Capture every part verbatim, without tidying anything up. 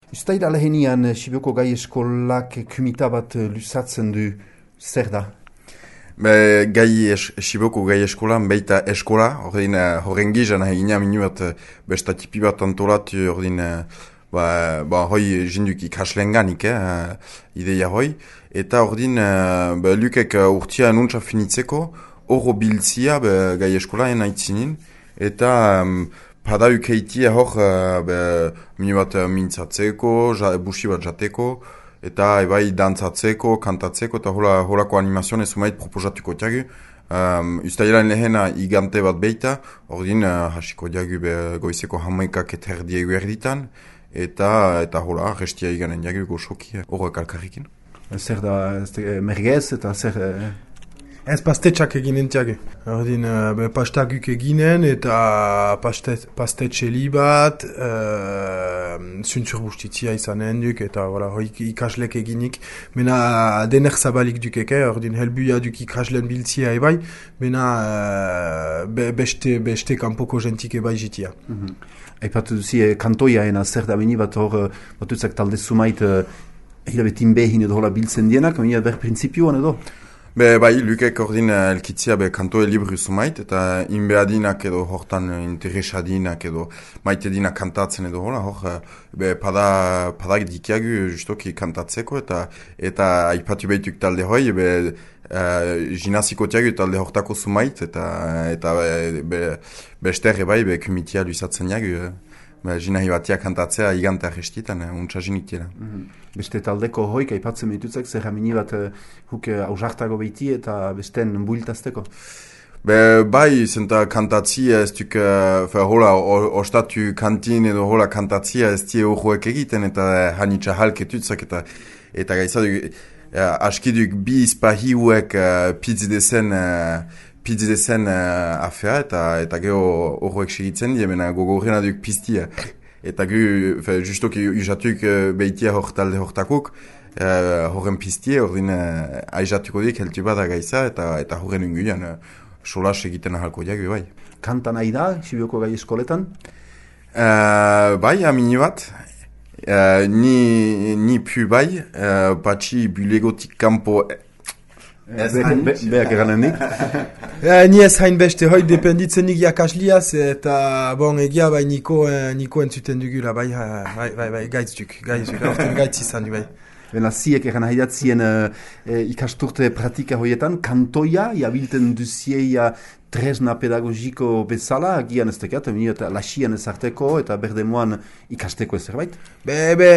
Uztaila lehenian Sibioko gai eskolak kumita bat luzatzen du, zer da? Be, gai es, Sibioko gai eskolan baita eskola, ordin horren gizan egina minu bat besta tipi bat antolatu ordin ba, ba hoi jinduk ikaslen ganik, eh, ideia hoi, eta ordin ba, lukek urtia nuntza finitzeko horro biltzia be, gai eskolaen aitzinin, eta um, pada ukeitia hor uh, minu bat mintzatzeko, ja, busi bat jateko, eta ebai dantzatzeko, kantatzeko, eta hola, holako animazioan ez umait proposatuko diagu. Um, Uztailan lehena igante bat beita, ordin uh, hasiko diagu be, goizeko hamaikak eta erdiegu erditan, eta, eta hola, restia iganen diagu goxoki horrek alkarrikin. Zer da, mergez eta zer... Ez pastetxak eginen tiago. Ordin, uh, pastaguk eginen eta pastet, pastetxe bat, uh, zuntzur bustitzia izanen duk eta voilà, hoik ikaslek eginik. Mena dener zabalik dukeke, ordin helbuia duk ikaslen biltzia ebai, mena uh, be, beste, beste kanpoko jentik ebai jitia. Mm-hmm. Aipatu duzi, eh, kantoia ena zer da bini bat hor, batutzak talde sumait, uh, hilabetin behin edo hola biltzen dienak, meni ber prinsipioan edo? Be, bai, lukek ordin elkitzia be kantoe libru sumait, eta inbeadinak edo hortan interesadinak edo maite dinak kantatzen edo hola, hor, be, pada, padak dikiagu justoki kantatzeko, eta eta aipatu behituk talde hoi, be, uh, jinaziko tiagu talde hortako sumait, eta eta be, be, bester bai, be, kumitia luizatzen jagu, be, jinahi batia kantatzea iganta arrestitan, untsa jiniktiela. Mm-hmm. Beste taldeko hoik aipatzen behitutzek, zer hamini bat uh, huk uh, ausartago behiti eta besten builtazteko? Be, bai, zenta kantatzia ez duk, uh, hola, ostatu kantin edo hola kantatzia ez die horroek egiten, eta uh, hanitza halketutzak, eta eta gaizaduk, uh, askiduk bi izpahiuek uh, pizdezen uh, pizdezen uh, afea, eta eta geho horroek segitzen die, mena gogorrena duk piztia. Eta gu, justoki usatuk uh, behitia hor talde hortakuk, uh, horren piztie, horren uh, aizatuko dik heltu bada gaiza, eta eta horren unguian uh, solas egiten ahalko diagu, bai. Kanta nahi da, Sibioko gai eskoletan? Uh, bai, amini bat. Uh, ni, ni pu bai, uh, batxi bulegotik kampo... Ez hain behak eranen nik. Ni ez hain beste hoi dependitzen nik jakasliaz eta bon egia bai niko, niko entzuten dugula bai, bai, bai, bai, gaitzuk, gaitzuk, orten gaitz izan du bai. Bena ziek eran haidatzien uh, ikasturte pratika hoietan, kantoia, jabilten duzieia tresna pedagogiko bezala, agian ez tekat, eta lasian ezarteko eta berdemoan ikasteko ez zerbait? Be, be,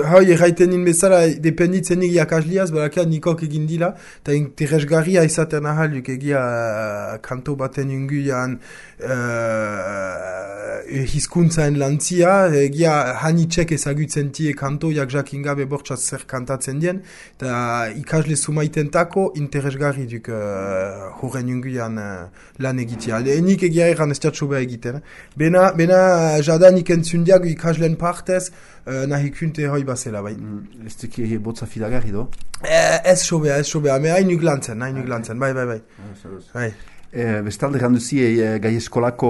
hoi erraiten nien bezala, dependitzen nik jakasliaz, berakia nikok egin dila, eta interesgarria izaten ahalduk egia uh, kanto baten inguian uh, hizkuntzaen lantzia, egia hanitxek ezagutzen tie kantoiak jakin gabe bortxaz zer kantatzen dien, eta ikasle sumaiten tako interesgarri duk uh, horren inguian uh, lan egitea. Nik egia egan ez jatso beha egiten. Bena, bena jada nik entzundiak ikaslen partez uh, nahi kunte hoi basela bai. Mm, ez duki botza filagarri do? Eh, ez sobea, ez sobea. Me hainuk lantzen, hainuk lantzen. Bai, bai, bai. bai. E, bestalde ganduzie e, gai eskolako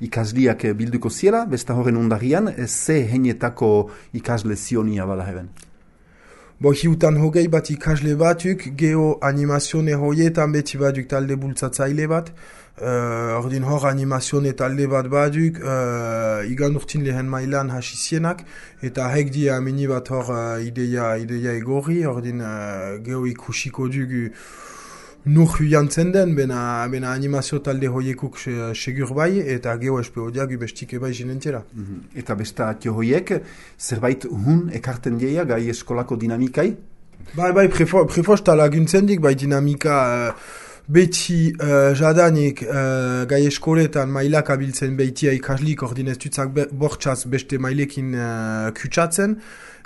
ikasliak bilduko ziela, besta horren ondarian, e, ze heinetako ikasle zionia bala heben? Bo, hiutan hogei bat ikasle batuk, geho animazione hoietan beti baduk talde bultzatzaile bat, uh, ordin hor animazione talde bat baduk, uh, igan urtin lehen mailan hasizienak, eta hek di amini bat hor uh, ideia, ideia egorri, ordin uh, geho ikusiko dugu nur huiantzen den, bena, bena animazio talde hoiekuk segur bai, eta geho espeo diagu bestik ebai jinentera. Mm-hmm. Eta besta atio hoiek, zerbait hun ekarten dieia gai eskolako dinamikai? Bai, bai, prefo, prefosta laguntzen dik, bai dinamika uh, beti uh, jadanik uh, gai eskoletan mailak abiltzen behitia ikaslik, ordin ez dutzak bortxaz beste mailekin uh, kutsatzen,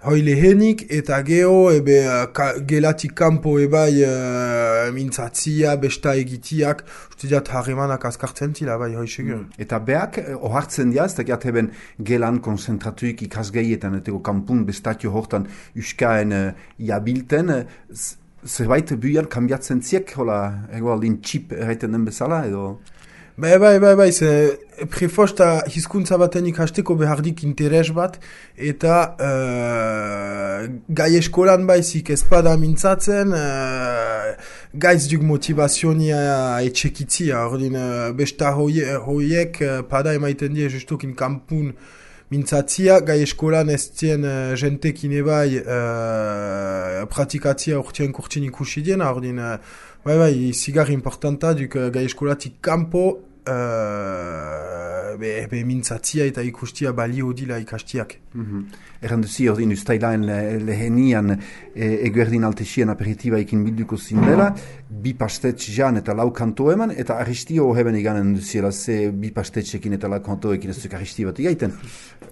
hoi lehenik eta geho ebe ka, gelatik kanpo ebai uh, mintzatzia, besta egitiak, uste diat harremanak azkartzen tila, bai, hoi segur. Mm. Eta beak, ohartzen diaz, eta giat heben gelan konzentratuik ikasgeietan, eteko kanpun bestatio hortan uskaen uh, jabilten, uh, zerbait buian kambiatzen ziek, hola, ego aldin txip erraiten den bezala, edo... Bai, bai, bai, bai, ze prefosta hizkuntza baten ikasteko behardik interes bat, eta uh, gai eskolan baizik ezpada mintzatzen, uh, gaiz duk motivazionia etxekitzia, ordin uh, besta hoie, hoiek uh, pada emaiten die justukin kampun mintzatzia, gai eskolan ez zien uh, jentekin ebai uh, pratikatzia urtien kurtsin ikusi diena, ordin uh, bai bai, zigar importanta duk uh, gai eskolatik kampo Uh, be, be mintzatzia eta ikustia balio dila ikastiak. Mm-hmm. Erran duzi, ordin ustailaen le, lehenian e, eguerdin altesien aperitiba ekin bilduko zindela, bi pastetx jan eta lau kanto eman, eta aristio heben iganen duziela ze bi pastetxekin eta lau kantoekin ez duk aristi bat igaiten.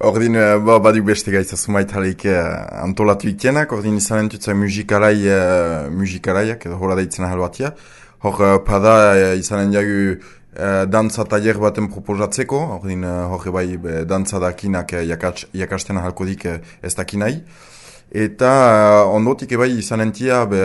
Ordin, ba, baduk beste gaitza sumait haleik uh, antolatu ikenak, ordin izan entutza musikalai, uh, musikalaiak, edo hola deitzen ahal batia. Hor, uh, pada uh, izan endiagu Uh, dantza taller baten proposatzeko, ordin uh, hori bai be, dantza dakinak uh, jakats, jakasten ahalkodik uh, ez dakinai. Eta uh, ondotik ebai izan entia be,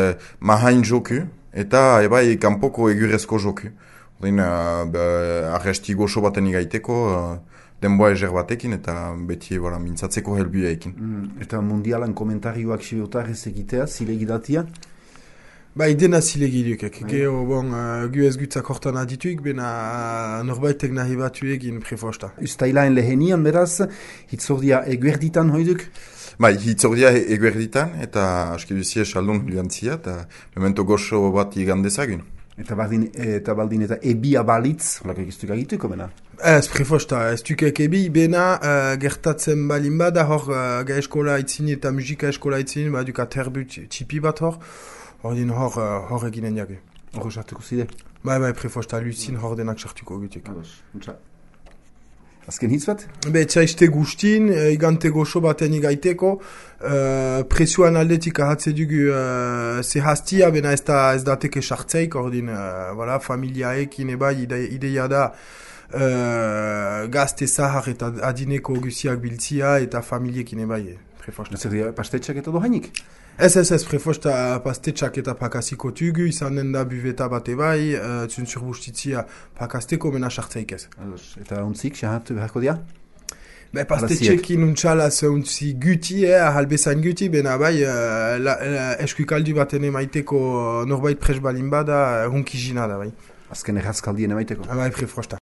mahain joku, eta ebai kanpoko egurezko joku. Ordin uh, arresti goxo baten igaiteko, uh, denboa ezer batekin, eta beti voilà, mintzatzeko helbia ekin. Mm, eta mundialan komentarioak sibeotarrez egitea, zilegidatia? Bai, dena zilegi dukek. Geo, bon, uh, gu ez gutzak hortan adituik, bena uh, norbaitek nahi batu egin prefosta. Ustailaen lehenian beraz, hitzordia eguerditan hoiduk? Bai, hitzordia eguerditan, eta aski duzie saldun juantzia, eta memento goxo bat igandezagun. Eta baldin eta, baldin, eta ebia balitz, holako egiztuk agituko, bena? Ez, prefosta, ez dukek ebi, bena uh, gertatzen balin bada, hor uh, ga eskola itzini eta musika eskola itzini, baduk aterbu txipi bat hor, ordin hor, uh, hor eginen jage. Hor sartuko zide? Bai, bai, prefosta, lucin hor denak sartuko egitek. Ados, untsa. Azken hitz bat? Be, txaiste gustin, e, igante goxo baten igaiteko, uh, presioan aldetik ahatze dugu uh, zehaztia, bena ez da ez dateke sartzeik, ordin, uh, voilà, familiaekin ebai ide, ideia da uh, gazte zahar eta adineko guziak biltzia eta familiekin ebai, prefosta. Zer dira, pastetxak eta dohainik? Ez, ez, ez, prefosta pastetxak eta pakaziko tugu, izan den da buveta bat ebai, uh, zuntzur bustitzia pakazteko, mena sartzeik ez. Ados, eta untzik, xahatu beharko dia? Be, pastetxekin untxalaz untzi guti, eh, ahalbezain guti, bena bai, uh, la, la, eskuikaldu baten emaiteko norbait presbalin bada, uh, hunkizina da bai. Azken errazkaldien emaiteko? Bai, prefosta.